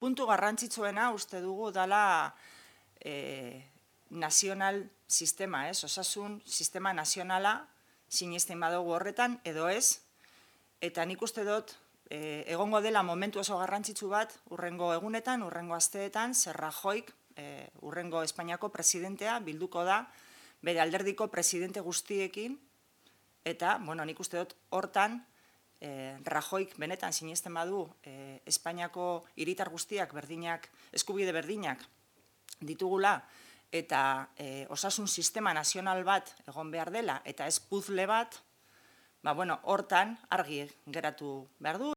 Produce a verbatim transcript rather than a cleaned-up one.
puntu garrantzitsuena uste dugu dala e, nazional sistema, ez? Osasun sistema nazionala sinesten badugu horretan, edo ez, eta nik uste dut e, egongo dela momentu oso garrantzitsu bat urrengo egunetan, urrengo asteetan, zer Rajoyk, e, urrengo Espainiako presidentea bilduko da, bere alderdiko presidente guztiekin, eta, bueno, nik uste dut hortan, E, Rajoyk benetan sinesten badu e, Espainiako hiritar guztiak berdinak, eskubide berdinak ditugula eta e, osasun sistema nazional bat egon behar dela eta ez puzzle bat, ba, bueno, hortan argi geratu behar du.